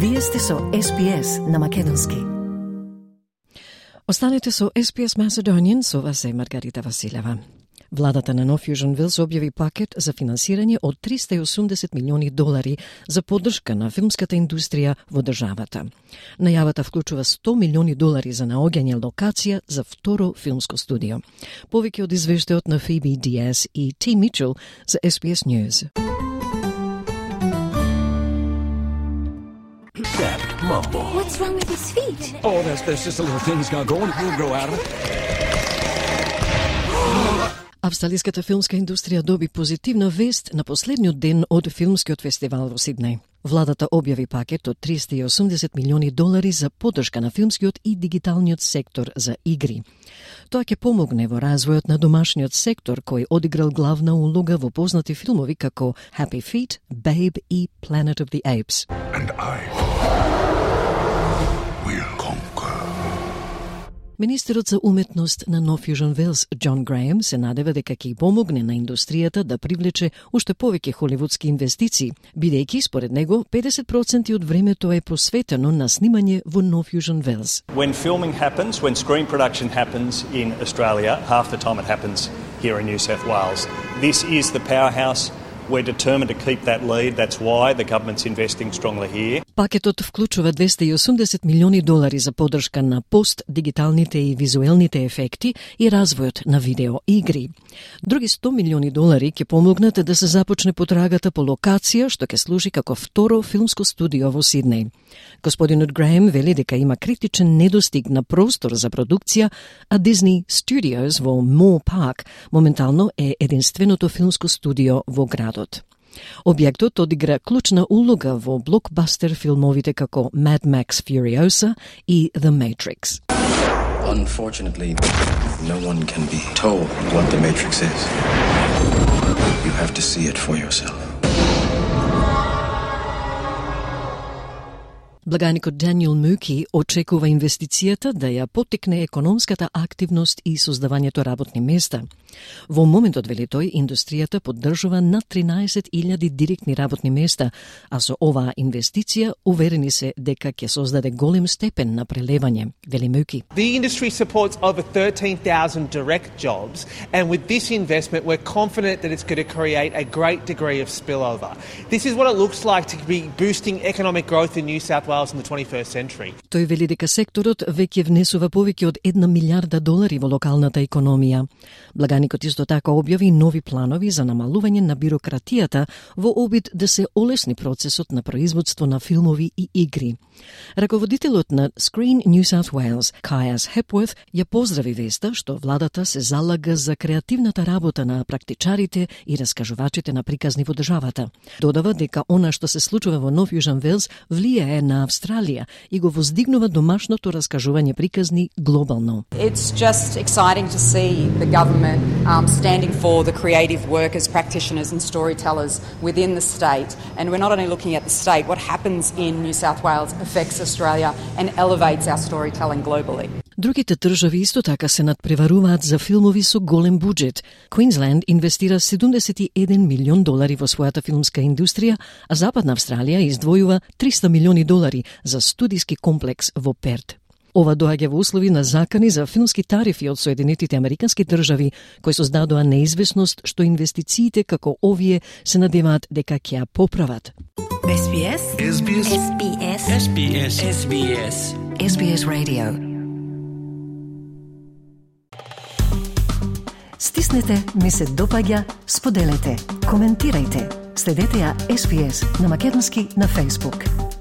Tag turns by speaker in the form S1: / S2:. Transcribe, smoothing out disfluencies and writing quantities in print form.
S1: Вие сте со SPS на македонски. Останете со SPS Macedonian, со вас е Маргарита Василева. Владата на Нов Јужен Велс објави пакет за финансирање од $380 милиони за поддршка на филмската индустрија во државата. Најавата вклучува $100 милиони за наоѓање локација за второ филмско студио. Повеќе од извештајот на Phoebe Diaz и T. Mitchell за SPS News.
S2: Dad, Mumble.
S3: What's wrong with his feet?
S2: Oh, there's just a little thing he's got going. He'll grow out of it.
S1: Австралиската филмска индустрија доби позитивна вест на последниот ден од филмскиот фестивал во Сиднеј. Владата објави пакет од $380 милиони за поддршка на филмскиот и дигиталниот сектор за игри. Тоа ќе помогне во развојот на домашниот сектор кој одиграл главна улога во познати филмови како Happy Feet, Babe и Planet of the Apes.
S4: And I will conquer.
S1: Министерот за уметност на Нов Јужен Велс, Џон Грејем, се надева дека ќе помогне на индустријата да привлече уште повеќе холивудски инвестиции, бидејќи според него 50% од времето е посветено на снимање во Нов Јужен Велс.
S5: When filming happens, when screen production happens in Australia, half the time it happens here in New South Wales. This is the powerhouse. We're determined to keep that lead. That's why the government's investing strongly here.
S1: Пакетот вклучува $280 милиони за поддршка на пост, дигиталните и визуелните ефекти и развојот на видео игри. Други $100 милиони ќе помогнат да се започне потрагата по локација што ќе служи како второ филмско студио во Сиднеј. Господинот Грејем вели дека има критичен недостиг на простор за продукција, а Disney Studios во Moore Park моментално е единственото филмско студио во градот. Објектот одигра клучна улога во блокбастер филмовите како Mad Max Furiosa и The Matrix.
S6: Unfortunately, no one can be told what The Matrix is. You have to see it for yourself.
S1: Благаникот Даниел Муки очекува инвестицијата да ја поттикне економската активност и создавањето работни места. Во моментот, вели тој, индустријата поддржува над 13.000 директни работни места, а со оваа инвестиција уверени се дека ќе создаде голем степен на прелевање, вели Муки.
S7: The industry supports over 13,000 direct jobs, and with this investment we're confident that it's going to create a great degree of spillover. This is what it looks like to be boosting economic growth in New South Wales in the 21st century.
S1: Тој вели дека секторот веќе внесува повеќе од $1 милиарда во локалната економија. Благаникот исто така објави нови планови за намалување на бирократијата во обид да се олесни процесот на производство на филмови и игри. Раководителот на Screen New South Wales, Caius Hepworth, ја поздрави веста што владата се залага за креативната работа на практичарите и раскажувачите на приказни во државата. Додава дека она што се случува во Нов Јужен Велс влијае на Австралија и го воздигнува домашното раскажување приказни глобално.
S8: It's just exciting to see the government standing for the creative workers, practitioners and storytellers within the state. And we're not only looking at the state, what happens in New South Wales affects Australia and elevates our storytelling globally.
S1: Другите држави исто така се надпреваруваат за филмови со голем буџет. Квинсленд инвестира $71 милион во својата филмска индустрија, а Западна Австралија издвојува $300 милиони за студиски комплекс во Перт. Ова доаѓа во услови на закани за филмски тарифи од Соединетите Американски држави, кои создадоа неизвестност што инвестициите како овие се надеваат дека ќе ја поправат.
S3: SBS.
S4: SBS.
S3: SBS.
S2: SBS. SBS.
S1: SBS Radio. Стиснете, ми се допаѓа, споделете, коментирајте. Следете ја SBS на македонски на Facebook.